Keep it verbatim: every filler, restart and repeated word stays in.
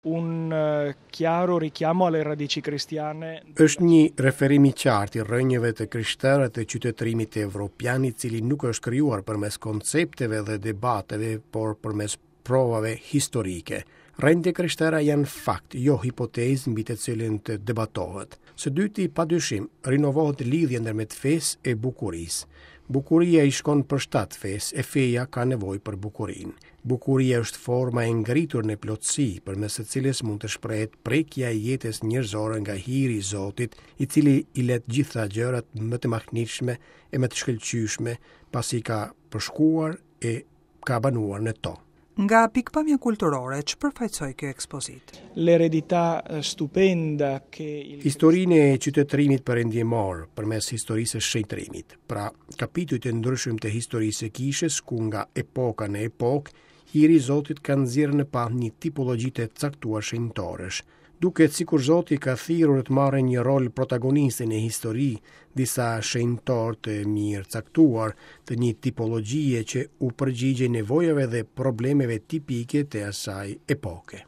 Un eh, chiaro richiamo alle radici cristiane. Është një referim i qartë i rrënjëve të krishtera të qytetërimit evropian, i cili nuk është krijuar përmes koncepteve dhe debateve, por përmes provave historike. Rrënjët e krishtera janë fakt, jo hipotezë mbi të cilën të debatohet. Së dyti, padyshim, rinovohet lidhja ndërmjet fesë e bukurisë. Bukuria i shkon për shtat fesë, e feja ka nevojë për bukurinë. Bukuria është forma e ngritur në plotësi, përmes së cilës mund të shprehet prekja e jetës njerëzore nga hiri i Zotit, i cili i lë të gjitha gjërat më të mahnitshme e më të shkëlqyeshme, pasi ka përshkuar e ka banuar në to. Nga pikëpamja kulturore, ç'përfaqësoi kjo ekspozitë? L'eredità eh, stupenda che il Historinë e qytetërimit perëndimor përmes historisë së shenjtërimit. Pra, kapitujt e ndryshëm të historisë së kishës, ku nga epoka në epokë, hiri i Zotit ka nxjerrë në pah një tipologji të caktuar shenjtorësh. Duket sikur Zoti ka thirrur të marrë një rol protagoniste në histori, disa shenjtorë të mirë caktuar të një tipologjie që u përgjigjej nevojave dhe problemeve tipike të asaj epoke.